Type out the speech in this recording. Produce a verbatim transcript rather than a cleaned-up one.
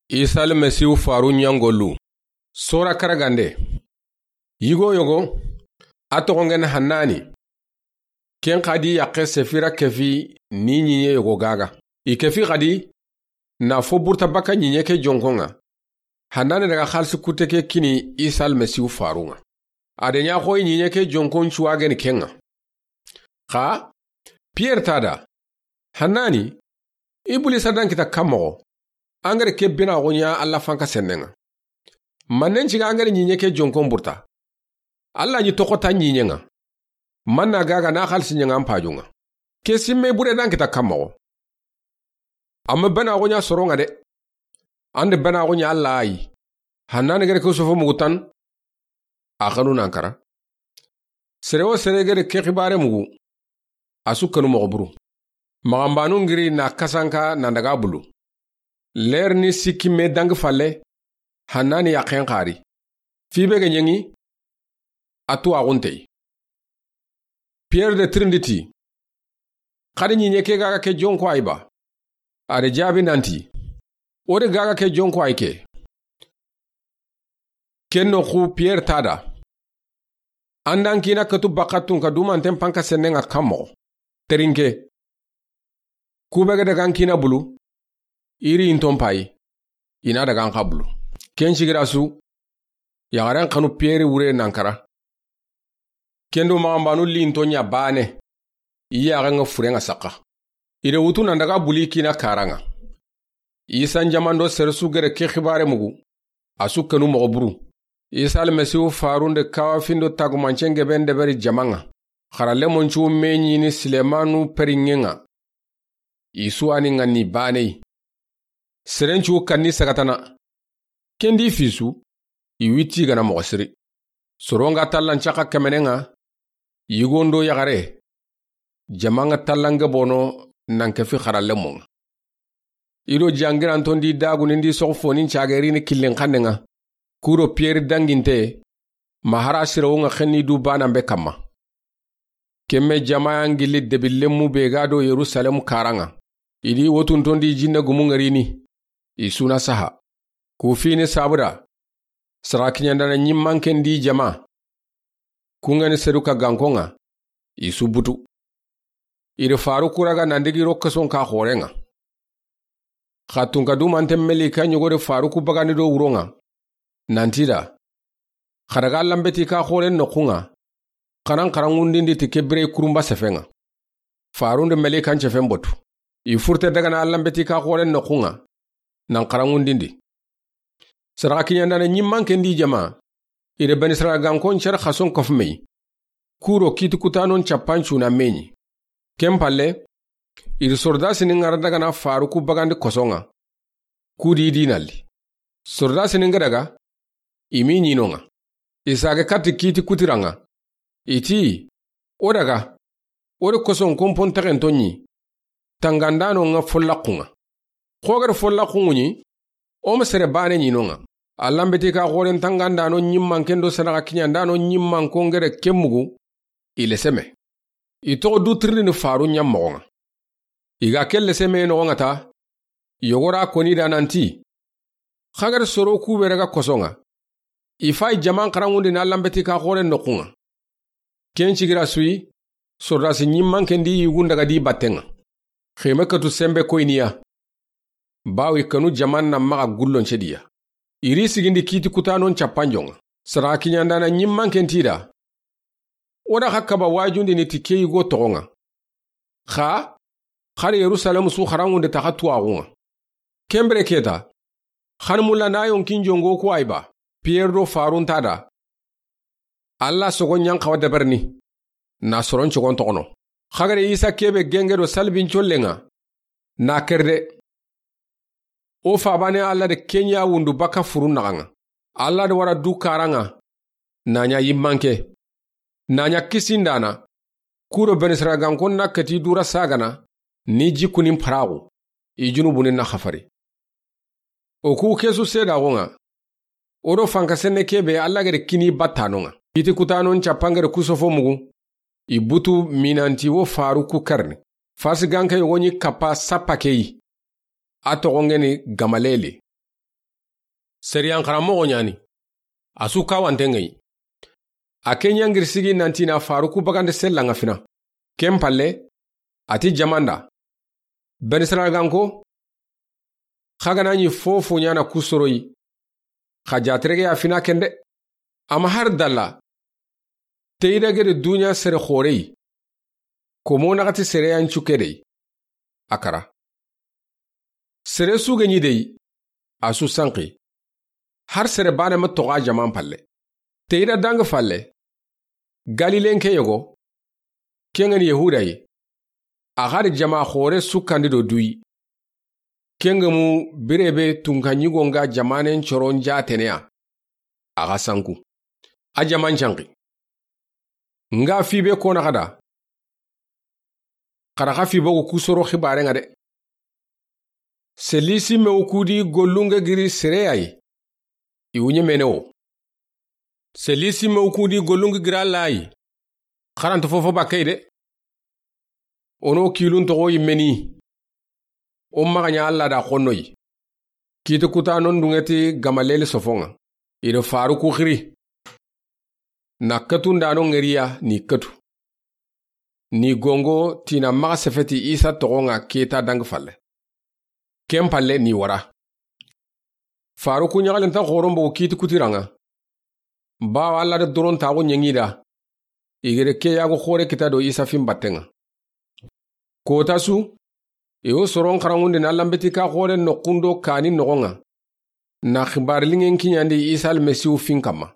Isa Almasihu faru ɲangolu. Sora karagande. Yigo yogo, a toxongen Hannani. Ken xadi yaxe Sefira kefi ni ɲiɲe yogo gaga. I kefi xadi, na fo burta baka ɲiɲe ke jonkonŋa. Hannani daga xalisi kute ke kini Isa Almasihu farunŋa. A de ɲa xoyi ɲiɲe ke jonkon cuwageni kenŋa. Xa, Piyere ta da, Hannani, Ibulisa dan kita kan moxo, angere ke bena xo ɲa Alla fanka sennenŋa. Mannen ciga angere ɲiɲe ke jonkon burta. Alla ɲi toxo ta ɲiɲenŋa. Manna gaga na xalisi ɲenŋa an pajunŋa. Ke simme bure dan kita kan moxo. Amma bena xo ɲa soronŋa de. Ande bena xo ɲa Alla ayi. Hannani gere ke sofo mugu tan. A xanu nan kara. Sere wo sere gere ke xibare mugu. A su kanu moxo buru. Maxanbanu ngiri na kasanka nan daga bulu. Ler ni sikki me dangi falle, Hannani yaxen xari. Fi be ga ɲengi, a tuwaxuntey. Piyere de tirindi ti, xadi ɲiɲe ke gaga ke jonko ayi ba? A de jaabi nanti, o de gaga ke jonko ayi ke. Ken noxu Piyere ta da, an dan kina katu baka tunka dumanten panka sennenŋa kan moxo. Terinke. Kube ga daga an kina bulu, iri inton payi, i na daga an xa bulu. Ken sigira su, yaxaren xanu Piyere wure nan kara. Ken do maxanbanu li into ɲa bane, i yaxenŋa furenŋa saxa. I de wutu nan daga buli kina karanŋa. Isa n jaman do sere su gere ke xibare mugu, a su kanu moxo buru. Isa Almasihu farunde kawafindo tagumancen geben deberi jamanŋa. Xara lemoncu me ɲini Silemanu periŋenŋa. I su ani ŋanni baney. Serencu kanni sagatana. Kendi fisu, i witti gana moxo siri. Soronga tallan caxa kemenenŋa, yigondo yaxare. Jamanŋa tallange bono nan kefi xara lemonŋa. I do jangirantondi dagunindi soxo fonin cagerini killin xannenŋa. Kuro Piyere danginte, ma hara sirawunŋa xenni du banan be kamma. Kemme jamaya ngilli debillenmu be ga do Yerusalemu karanŋa. I di wotuntondi jinne gumu ŋerini. I suna saha. Ku fini sabuda. Sara kiɲandana ɲimmanken di jama. Kungeni seru ka gankonŋa. I su butu. I di faru kuraga nan digi ro keson ka xorenŋa. Xa tunka dumanten melika ɲogodi faru ku bagandi do wuronŋa. Nanti da. Xa daga lambeti ka xoren noxunŋa. Xanan xarangundindi ti ke bire kurumba sefenŋa. Farundi melikan cefen botu. I furte daga na lambeti ka xoren noxunŋa. Nan xarangundindi. Saraxa kiɲandana ɲimmanken di jama. I de beni saraxa gankon cere xason kofumey. Kuro kiti kutanon cappancuna meɲi. Ken palle, i di sordasini ŋara daga na faru ku bagandi kosonŋa. Kudi i dinalli. Sordasini nga daga, i mi ɲinonŋa. I sage katti kiti kutiranŋa. I ti, o daga, o de koson kompon texento ɲi. Tangandano nga follaxunŋa. Xogere follaxunŋu ɲi, o ma sere bane ɲinonŋa. Allanbeti ka xoren tangandano ɲimmanken do sanaxa kiɲandano ɲimmanko ngere ke mugu, i leseme. I toxo du tirindini faru ɲammoxonŋa. I ga ke leseme noxonŋa ta, yogora koni da nanti, xagere soro kube daga kosonŋa. I fay jaman xaranŋundi na lambeti ka xoren noxunŋa. Ken cigira suyi, sordasi ɲimmanken di yugun daga di battenŋa. Xime katu sembe koyniya. Bawi kanu jaman na maxa gullon cediya. Iri sigindi kiti kutanon cappanjonŋa. Sara kiɲandana ɲimmanken tida. O da xa kaba wajundini ti ke yigo toxonŋa. Xa, xari Yerusalemu su xaranŋunde taxa tuwaxunŋa. Kembere keta, xan mulla na yonkin jongo ku ayba, Piyere do farunta da. Alla sogo ɲan xawa deberni, na soron cogon toxono. Xagare Isa kebe genge do salbin collenŋa, na kerde. O fabane Alla de kenya wundu baka furun naxanŋa. Alla de wara du karanŋa, na ɲa yimmanke. Na ɲa kisindana, kuro benisaragankon na keti dura sagana, ni jikunin paraxu, i junubunin na xafari. O ku kesu sedaxonŋa, o do fanka senne kebe Alla gede kini battanonŋa. Iti kutanon cappangede kusofo mugu, i butu minanti wo faru ku karni. Farsi ganke yogo ɲi kappa sappa keyi. A toxongeni Gamaleli. Sariyan xaranmoxo ɲa ni. A su kawanten ŋa yi. A ke ɲa n giri sigi nanti na Faruku bagandi sella ŋa fina. Ken palle, a ti jaman da, Benisaragaanko, xa ga na ɲi fofo ɲa na ku soro yi, xa jaterege ya fina ken de. Ama hari dalla, teyida gede duɲa sere xoore yi, komo naxati sere yan cu ke de yi, a kara. Sere su ge ɲi de yi, a su sanqi. Hari sere baane ma toxo a jaman palle. Teyida dangi falle, Galilen ke yogo, ken ŋa ni Yahuda yi, a xari jama xoore su kandi do du yi. Ken ŋa mu bire be tunka ɲigo ŋa jamanen coron jaatene ya, a xa sanku. A jaman canqi. N ga fi be ko naxa da, xa ra xa fi bogu ku soro xibaaren ŋa de. Selisi mewu ku di gollun ge giri sere ya yi, i wu ɲemene wo. Selisi mewu ku di gollun ge giri Alla yi, xa ra nta fofo bakke yi de. O no kilun toxo yimme ni, o maxa ɲa Alla da xonno yi. Kiiti kutanon dunŋe ti Gamaleli sofon ŋa, i do Faruku xiri. Na katun da no ŋeriya ni katu. Ni gongo ti na maxa sefeti Isa toxon ŋa keta dangi falle. Ken palle ni wara. Faruku ɲaxalen ta xoron bogu kiiti kutiran ŋa. Bawo Alla da doron taxu ɲeŋi da, i gere ke yago xoore kita do Isa fin batten ŋa. Kota su, i wo soron xaranŋundi na lanbeti ka xoore noxun do kani noxon ŋa, na xibaari liŋen kiɲandi Isa Almasihu fin kanma.